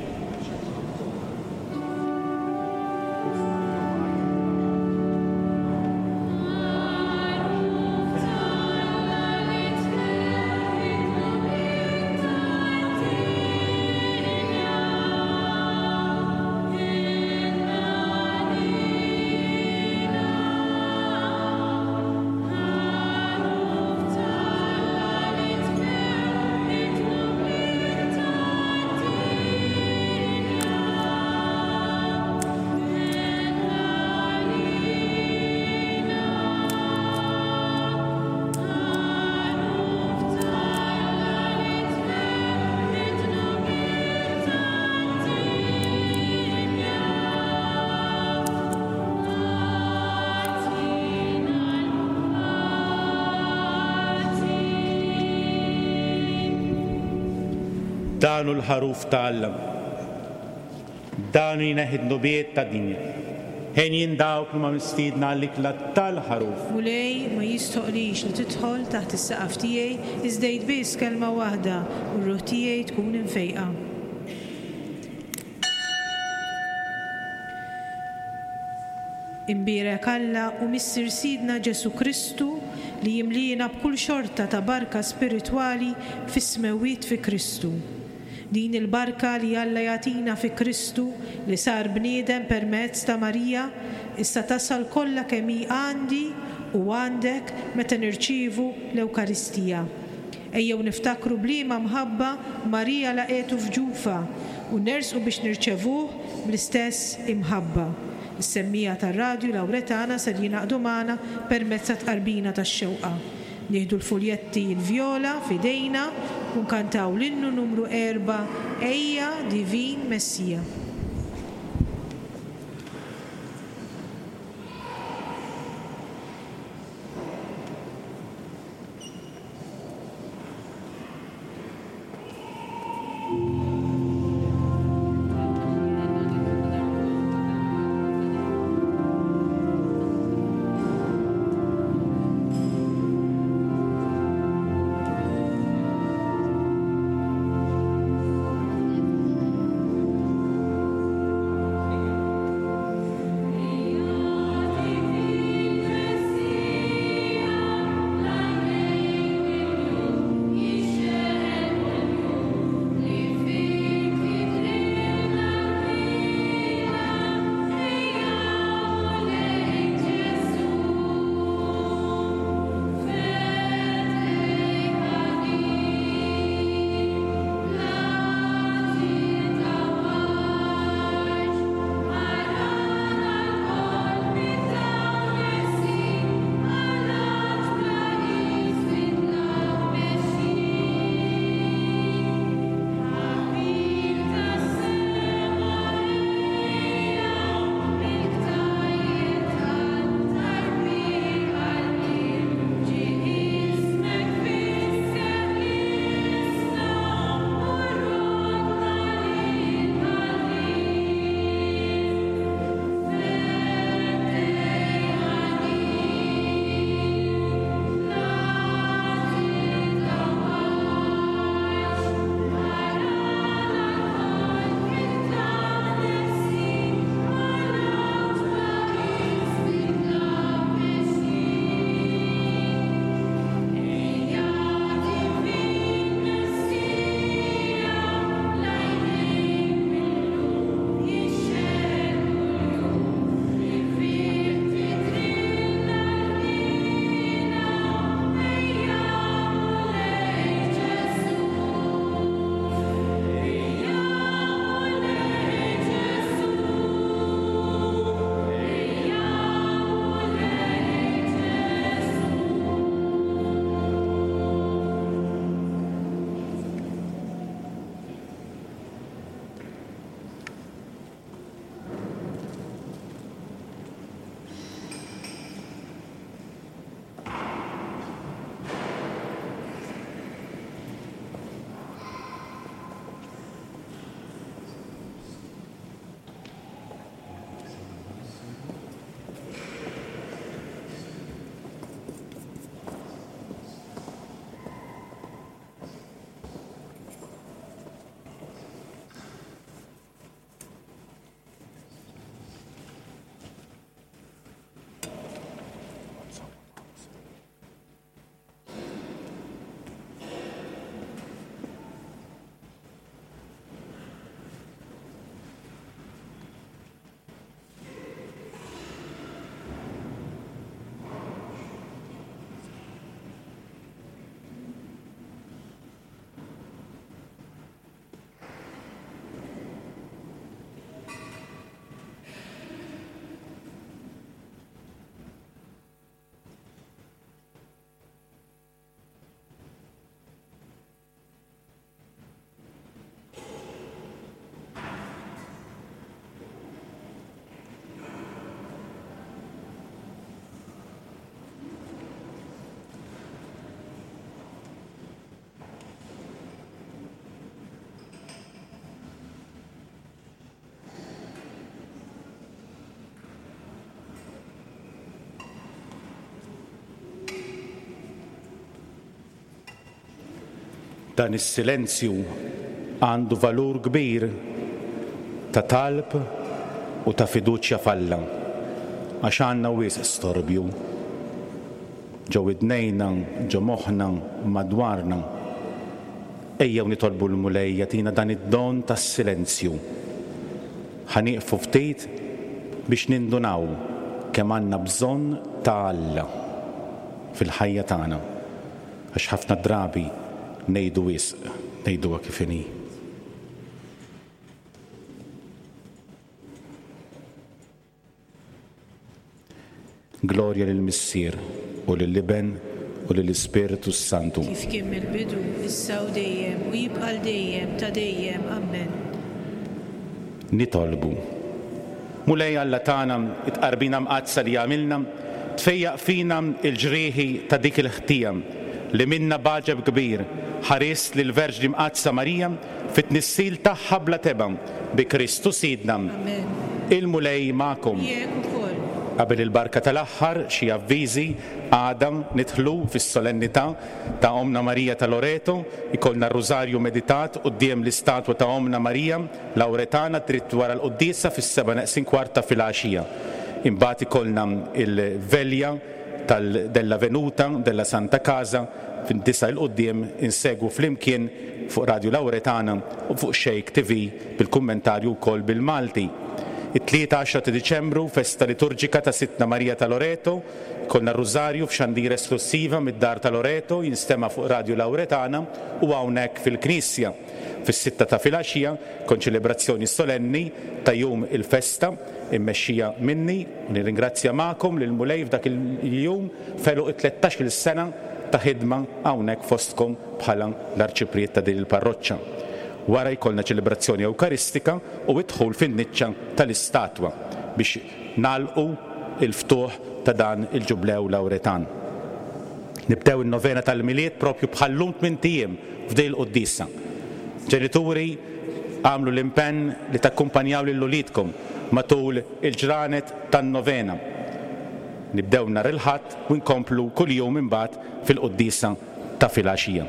Dan hu l-Ħaruf ta' Alla. Dan hu jneħħi d-dnubiet tad-dinja. Henjin dawk li huma mistiedna għall-ikla tal-Ħaruf. Mulej, ma jistħoqlix li tidħol taħt is-saqaf tiegħi, iżda għid biss kelma waħda u r-ruħ tiegħi tkun imfejqa. Imbierek Alla u Missier Sidna Ġesù Kristu li jimliena b'kull xorta ta' barka spiritwali fis-smewwiet fi Kristu. Din il-barka li Alla jagħtina fi Kristu li sar bniedem permezz ta' Marija, issa tasal kollha kemm hi għandi u għandek meta nirċievu l-Ewkaristija. Ejjew niftakru b'liema mħabba Marija laqgħetu f'ġufha u nersqu biex nirċevuh bl-istess imħabba. Is-semmiegħa tar-Radju Lawretana ser jingħaqdu magħna permezz tat-tqarbina tax-xewqa. Nieħdu l-fuljetti l-vjola f'idejna u nkantaw l-innu numru erbgħa Ejja Divin Messija. Dan is-silenzju għandu valur kbir ta' talb u ta' fiduċja f'Alla, għax għandna wisq storbju ġo widnejna, ġo moħħna, madwarna. Ejjew nitolbu l-Mulej jagħtina dan id-don tas-silenzju. Ħa nieqfu ftit biex nindunaw kemm għandna bżonn ta' Alla fil-ħajja tagħna. Għax ħafna drabi ngħidu wisq, ngħiduha kif inhi. Glorja lill-Missier, u lill-Iben, u lill-Ispirtu s-Santu. Kif kien mill-bidu, issa u dejjem, u jibqa' għal dejjem ta' dejjem. Ammen. Nitolbu. Mulej Alla tagħna, it-tqarbina mqaddsa li għamilna tfejjaq fina l-ġrieħi ta' dik il-ħtija li minnha b'għaġeb kbir ħarist lill-Verġni Mqaddsa Marija fit-tnissil tagħha bla tebgħa, bi Kristu Sidna. Amen. Il-Mulej magħkom. Miegħek ukoll. Qabel il-barka tal-aħħar, xi avviżi, għada nidħlu fis-solennità ta' Ommna Marija ta' Loreto, ikollna r-Rużarju meditat quddiem l-istatwa ta' Ommna Marija Lawretana dritt wara l-quddiesa fis-sebgħa neqsin kwart ta' filgħaxija. Imbagħad ikollna l-Velja tal della Venuta della Santa Casa fid-disgħa 'il quddiem insegwu flimkien fuq Radju Lawretana u fuq Xejk TV bil-kummentarju wkoll bil-Malti. It-Tlieta 10 ta' Diċembru, festa liturġika ta' Sidtna Marija ta' Loreto, ikollna r-Rużarju f'xandira esklussiva mid-Dar ta' Loreto jinstema' fuq Radju Lawretana u hawnhekk fil-Knisja. Fis-sitta ta' filgħaxija, konċelebrazzjoni solenni ta' jum il-festa, immexxija minni, u nirringrazzja magħkom lill-Mulej f'dak il-jum f'għeluq it-tlettax-il sena ta' ħidma hawnhekk fostkom bħala l-Arċipriet ta' din il-parroċċa. Wara jkollna ċelebrazzjoni Ewkaristika u d-dħul fin-niċċa tal-istatwa biex nagħlqu l-ftuħ ta' dan il-Ġublew Lawretan. Nibdew in-novena tal-Milied propju bħal-lum tmint ijiem f'din il-quddiesa. Ġenituri, agħmlu l-impenn li takkumpanjaw lil uliedkom matul il-ġranet tan-novena. Nibdew nhar il-Ħadd u nkomplu kuljum imbagħad fil-quddiesa ta' filgħaxija.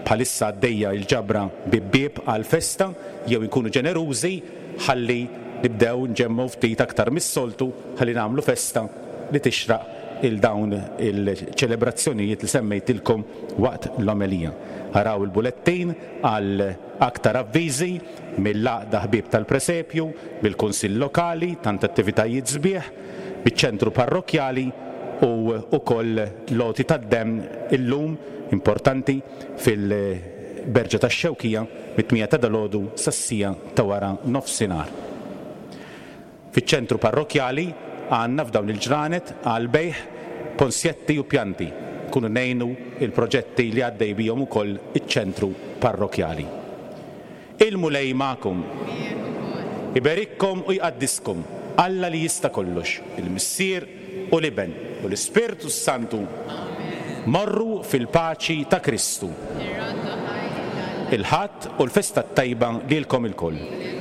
Bħalissa għaddejja l-ġabra bieb bieb għall-festa, jew inkunu ġenerużi ħalli nibdew nġemmgħu ftit aktar mis-soltu ħalli nagħmlu festa li tixraq 'il dawn il-ċelebrazzjonijiet li semmejtilkom waqt l-omelija. Araw il-bulettin għal aktar avviżi mill-Għaqda Ħbieb tal-Presepju, mill-Kunsill Lokali, tant attivitajiet sbieħ, miċ-Ċentru Parrokkjali u wkoll l-għoti tad-demm illum, importanti, fil-Berġa tax-Xewkija mit-tmienja ta' dalgħodu sas-siegħa ta' wara nofsinhar. Fiċ-ċentru parrokkjali għandna f'dawn il-ġranet għall-bejgħ ponsjetti u pjanti. Nkunu ngħinu l-proġetti li għaddej bihom ukoll iċ-ċentru parrokkjali. Il-Mulej magħkom. Miegħek ukoll. Iberikkom u jqaddiskom Alla li jista' kollox, il-Missier u l-Iben u l-Ispirtu s-Santu. Amen. Morru fil-paċi ta' Kristu. Irroddu ħajr lil Alla. Il-Ħadd u l-festa t-tajba lilkom ilkoll. Lilek ukoll.